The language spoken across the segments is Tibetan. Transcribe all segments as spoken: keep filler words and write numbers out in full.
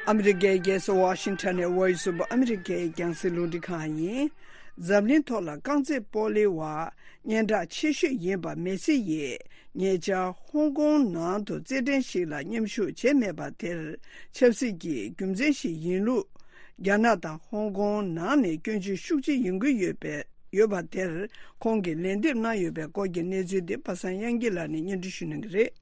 ཨ་མི་རི་ཀའི་རྒྱལ་ས་ཝ་ཤིང་ཊོན་ནས་Voice of America་ཡི་རྒྱང་སྲིང་རླུང་འཕྲིན་ཁང་ཡིན། འཛམ་གླིང་ཐོག་ལ་རྐང་རྩེད་སྤོ་ལོའི་བར་སྙན་གྲགས་ཆེ་ཤོས་ཡིན་པ་མེ་སི་ཡིས་ཉེ་ཆར་ཧོང་ཀོང་ནང་དུ་རྩེད་འགྲན་ཞིག་ལ་མཉམ་ཞུགས་བྱས་མེད་པ་དེར་ཆབ་སྲིད་ཀྱི་རྒྱུ་མཚན་ཞིག་ཡིན་ལུགས། རྒྱ་ནག་དང་ཧོང་ཀོང་ནང་ནས་སྐྱོན་བརྗོད་ཤུགས་ཆེ་ཡོང་གི་ཡོད་པའི་ཡོད་པ་དེར་ཁོང་གིས་ལན་འདེབས་གནང་ཡོད་པའི་སྐོར་གྱི་གནས་ཚུལ་འདི་པ་སངས་དབྱངས་སྐྱིད་ལགས་ནས་སྙན་སྒྲོན་ཞུ་གནང་གི་རེད།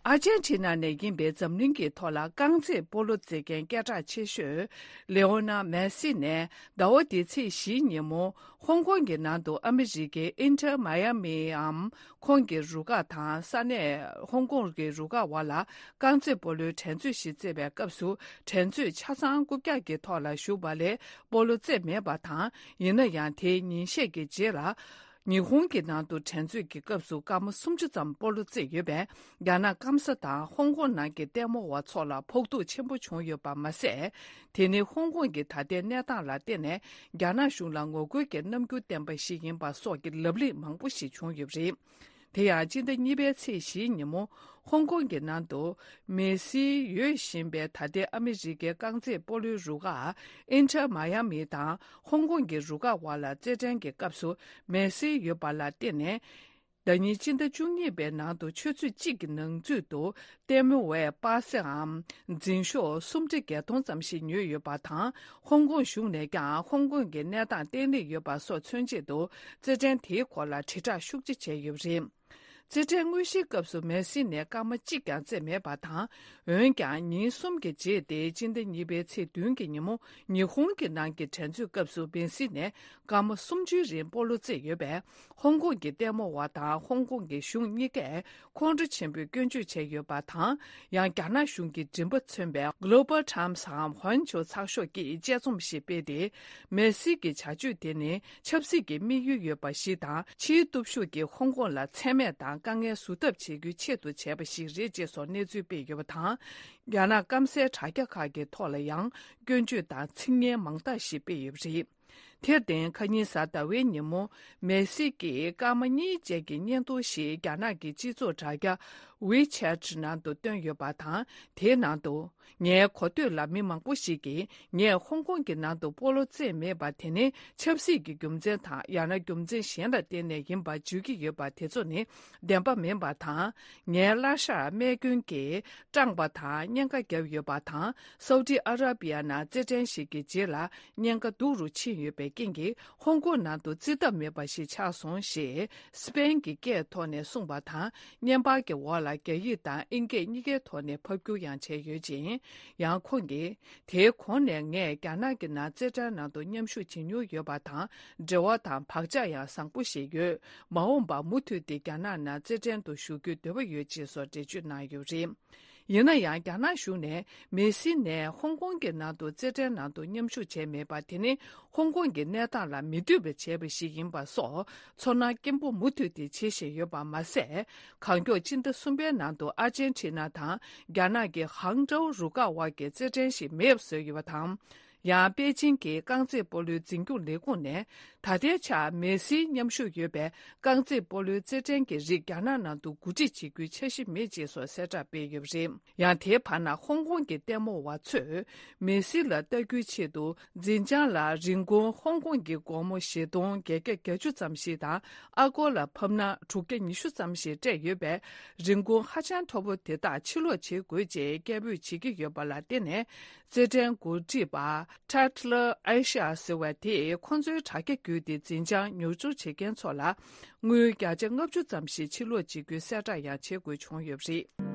ཨར་ཇན་ཊི་ན་ནས་ཡིན་པའི་འཛམ་གླིང་གི་ཐོག་ལ་རྐང་རྩེད་སྤོ་ལོ་རྩེད་མཁན་སྐད་གྲགས་ཆེ་ཤོས་ལེ་ཨོ་ནལ་མེ་སི་ནས་ཟླ་བ་འདིའི་ཚེས་བཞིའི་ཉིན་མོ་ཧོང་ཀོང་གི་ནང་དུ་ཨ་མི་རི་ཀའི་ཨིན་ཊར་མ་ཡ་མིའམ་ཁོང་གི་རུ་ཁག་དང་ས་གནས་ཧོང་ཀོང་གི་རུ་ཁག་བར་ལ་རྐང་རྩེད་སྤོ་ལོའི་འགྲན་རྩོད་ཞིག་རྩེད་པའི་སྐབས་སུ་འགྲན་རྩོད་ཆ་ཚང་རྐུབ་བཀྱག་གི་ཐོག་ལ་ཞུགས་པ་ལས་སྤོ་ལོ་རྩེད་མེད་པ་དང་། ཡིན་ན་ཡང་དེའི་ཉིན་ཤས་ཀྱི་རྗེས་ལ། ཉི་ཧོང་གི་ནང་དུ་འགྲན་རྩོད་ཀྱི་སྐབས་སུ་སྐར་མ་སུམ་ཅུ་ཙམ་སྤོ་ལོ་རྩེད་ཡོད་པས། རྒྱ་ནག་སྐམ་ས་དང་ཧོང་ཀོང་ནང་གི་ལྟད་མོ་བ་ཚོ་ལ་ཕོག་ཐུག་ཆེན་པོ་བྱུང་ཡོད་པ་མ་ཟད། དེ་ནི་ཧོང་ཀོང་གི་ད་ལྟའི་གནས་སྟངས་ལ་བརྟེན་ནས་རྒྱ་ནག་གཞུང་ལ་ངོ་རྒོལ་གྱི་རྣམ་འགྱུར་བསྟན་པ་ཞིག་ཡིན་པ་སོགས་ཀྱི་ལབ་གླེང་མང་པོ་ཞིག་བྱུང་ཡོད་པ་རེད། དེ་ཡང་སྤྱི་ཟླ་གཉིས་པའི་ཚེས་བཞིའི་ཉིན་མོ་ཧོང་ཀོང་གི་ནང་དུ་མེ་སི་ཡོད་བཞིན་པའི་ད་ལྟའི་ཨ་མི་རི་ཀའི་རྐང་རྩེད་སྤོ་ལོའི་རུ་ཁག་ཨིན་ཊར་མ་ཡ་མི་དང་ཧོང་ཀོང་གི་རུ་ཁག་བར་ལ་རྩེད་འགྲན་གྱི་སྐབས་སུ་མེ་སི་ཡོད་པ་ལ་བརྟེན་ནས། ཟླ་ཉིན་སྤྱི་ཟླ་བཅུ་གཉིས་པའི་ནང་དུ་ཆུ་ཚོད་གཅིག་གི་ནང་ཚུད་དུ་ལྟད་མོ་བའི་པ་སེའམ་འཛིན་ཤོག་སུམ་ཁྲི་བརྒྱད་སྟོང་ཙམ་ཞིག་ཉོས་ཡོད་པ་དང་། ཧོང་ཀོང་གཞུང་ནས་ཀྱང་ཧོང་ཀོང་གི་གནས་སྟངས་བརྟན་ལྷིང་ཡོད་པ་སོགས་མཚོན་ཆེད་དུ་རྩེད་འགྲན་དེའི་སྐོར་ལ་དྲིལ་བསྒྲགས་ཤུགས་ཆེ་བྱས་ཡོད་པ་རེད། རྩེད་འགྲན་དངོས་གཞིའི་སྐབས་སུ་མེ་སི་ནས་སྐར་མ་གཅིག་ཀྱང་རྩེད་མེད་པ་དང་། འོན་ཀྱང་ཉིན་གསུམ་གྱི་རྗེས་ཏེ་སྤྱི་ཟླ་གཉིས་པའི་ཚེས་བདུན་གྱི་ཉིན་མོ་ཉི་ཧོང་གི་ནང་གི་འགྲན་རྩོད་སྐབས་སུ་མེ་སི་ནས་སྐར་མ་སུམ་ཅུའི་རིང་སྤོ་ལོ་རྩེད་ཡོད་པས། ཧོང་ཀོང་གི་ལྟད་མོ་བ་དང་ཧོང་ཀོང་གི་གཞུང་གཉིས་ཀས་ཁོང་ཁྲོ་ཆེན་པོས་སྐྱོན་བརྗོད་བྱས་ཡོད་པ་དང་། ཡང་རྒྱ་ནག་གཞུང་གི་མགྲིན་པ་མཚོན་པའི་Global Timesའམ་ཧོན་ཆོ་ཚགས་ཤོག་གིས་དཔྱད་རྩོམ་ཞིག་སྤེལ་ཏེ། མེ་སི་གི་བྱ་སྤྱོད་དེ་ནི་ཆབ་སྲིད་ཀྱི་དམིགས་ཡུལ་ཡོད་པ་ཞིག་དང་། ཕྱིའི་སྟོབས་ཤུགས་ཀྱིས་ཧོང་ཀོང་ལ་མཚན་སྨད་དང་དཀའ་ངལ་བཟོ་ཐབས་བྱེད་རྒྱུའི་ཆེད་དུ་བྱས་པ་ཞིག་རེད་ཅེས་སོགས་གནས་ཚུལ་སྤེལ་ཡོད་པ་དང་། རྒྱ་ནག་སྐམ་སའི་དྲ་རྒྱ་ཁག་གི་ཐོག་ལ་ཡང་སྐྱོན་བརྗོད་དང་ཚིག་ངན་མང་དག་ཞིག་སྤེལ་ཡོད་པ་རེད། དེར་བརྟེན་ཁ་ཉིན་གཟའ་ཟླ་བའི་ཉིན་མོ་མེ་སི་ཀྱིས་སྐར་མ་གཉིས་བཅས་ཀྱི་བརྙན་ཐུང་ཞིག་རྒྱ་ནག་གི་སྤྱི་ཚོགས་དྲ་རྒྱ་WeChat་ནང་དུ་བཏོན་ཡོད་པ་དང་། དེའི་ནང་དུ། ངའི་གོ་ཐོས་ལ་མི་མང་པོ་ཞིག་གིས་ངས་ཧོང་ཀོང་གི་ནང་དུ་སྤོ་ལོ་རྩེད་མེད་པ་དེ་ནི་ཆབ་སྲིད་ཀྱི་རྒྱུ་མཚན་དང་ཡང་ན་རྒྱུ་མཚན་གཞན་ལ་བརྟེན་ནས་ཡིན་པ་བརྗོད་ཀྱི་ཡོད་པ་དེ་ཚོ་ནི་བདེན་པ་མིན་པ་དང་། ངའི་བརླ་ཤ་རྨས་སྐྱོན་གྱིས་སྐྲངས་པ་དང་གཉན་ཁ་བརྒྱབ་ཡོད་པ་དང་། སའུ་ཏི་ཨ་ར་པི་ཡ་ནང་རྩེད་འགྲན་ཞིག་གི་རྗེས་ལ་གཉན་ཁ་སྡུག་རུ་ཕྱིན་ཡོད་པའི་རྐྱེན་གྱིས་ཧོང་ཀོང་ནང་དུ་རྩེད་ཐབས་མེད་པ་ཞིག་ཆགས་སོང་ཞེས་སི་པེན་གྱི་སྐད་ཐོག་ནས་གསུངས་པ་དང་། བརྙན་པར་གྱི་འོག་ལ་རྒྱ་ཡིག་དང་ཨིན་སྐད་གཉིས་ཀའི་ཐོག་ནས་ཕབ་བསྒྱུར་ཡང་བྱས་ཡོད་ཅིང་། ཡང་ཁོང་གིས། དེའི་གོང་ནས་ངས་རྒྱ་ནག་གི་ནང་རྩེད་འགྲན་ནང་དུ་མཉམ་ཞུགས་བྱེད་མྱོང་ཡོད་པ་དང་། འབྲེལ་བ་དང་བག་ཆགས་ཡང་བཟང་པོ་ཞིག་ཡོད། མ་འོངས་པར་མུ་མཐུད་དེ་རྒྱ་ནག་ནང་རྩེད་འགྲན་དུ་ཞུགས་རྒྱུའི་འདོད་པ་ཡོད་ཅེས་སོགས་འགྲེལ་བརྗོད་གནང་ཡོད་པ་རེད། ཡིན་ན་ཡང་རྒྱ་ནག་གཞུང་ནས་མེ་སི་ནས་ཧོང་ཀོང་གི་ནང་དུ་རྩེད་འགྲན་ནང་དུ་མཉམ་ཞུགས་བྱས་མེད་པ་དེ་ནི་ཧོང་ཀོང་གི་གནས་སྟངས་ལ་མི་འདོད་པ་བྱས་པ་ཞིག་ཡིན་པ་སོགས་ཚོར་སྣང་སྐྱེན་པོ་མུ་མཐུད་དེ་བྱེད་བཞིན་ཡོད་པ་མ་ཟད། གང་མགྱོགས་སྤྱི་ཟླ་གསུམ་པའི་ནང་དུ་ཨར་ཇན་ཊི་ན་དང་རྒྱ་ནག་གི་ཧང་ཀྲོའུ་རུ་ཁག་དབར་གྱི་རྩེད་འགྲན་ཞིག་མེད་པ་བཟོས་ཡོད་པ་དང་། ཡང་པེ་ཅིང་གི་རྐང་རྩེད་སྤོ་ལོའི་འཛིན་སྐྱོང་ལས་ཁུངས་ནས་ད་ལྟའི་ཆར་མེ་སིའི་མཉམ་ཞུགས་ཡོད་པའི་རྐང་རྩེད་སྤོ་ལོའི་རྩེད་འགྲན་གྱི་རིགས་རྒྱ་ནག་ནང་དུ་གོ་སྒྲིག་བྱེད་རྒྱུའི་འཆར་གཞི་མེད་ཅེས་སོགས་གསལ་བསྒྲགས་སྤེལ་ཡོད་པ་རེད། ཡང་དེའི་བར་ན་ཧོང་ཀོང་གི་ལྟད་མོ་བ་ཚོས་མེ་སི་ལ་ལྟ་རྒྱུའི་ཆེད་དུ་འཛིན་བྱང་ལ་རིན་གོང་ཧོང་ཀོང་གི་སྒོར་མོ་བཞི་སྟོང་བརྒྱད་བརྒྱ་བརྒྱད་ཅུ་ཙམ་ཞིག་དང་ཨ་སྒོར་ལ་ཕབ་ན་དྲུག་བརྒྱ་ཉི་ཤུ་ཙམ་ཞིག་སྤྲད་ཡོད་པས། རིན་གོང་ཧ་ཅང་མཐོ་པོ་དེ་དག་ཕྱིར་སློག་བྱེད་དགོས་ཅེས་སྐད་འབོད་བྱེད་ཀྱི་ཡོད་པ་ལ་བརྟེན་ནས། རྩེད་འགྲན་འགོ་ཁྲིད་པ་Tatler Asia་ཟེར་བ་དེས་ཁོང་ཚོའི་དྲ་རྒྱ་བརྒྱུད་དེ་འཛིན་བྱང་ཉོ་སྒྱུར་བྱེད་མཁན་ཚོ་ལ་དངུལ་བརྒྱ་ཆ་ལྔ་བཅུ་ཙམ་ཞིག་ཕྱིར་སློག་བྱེད་རྒྱུའི་གསལ་བསྒྲགས་ཡང་བྱེད་དགོས་བྱུང་ཡོད་པ་རེད།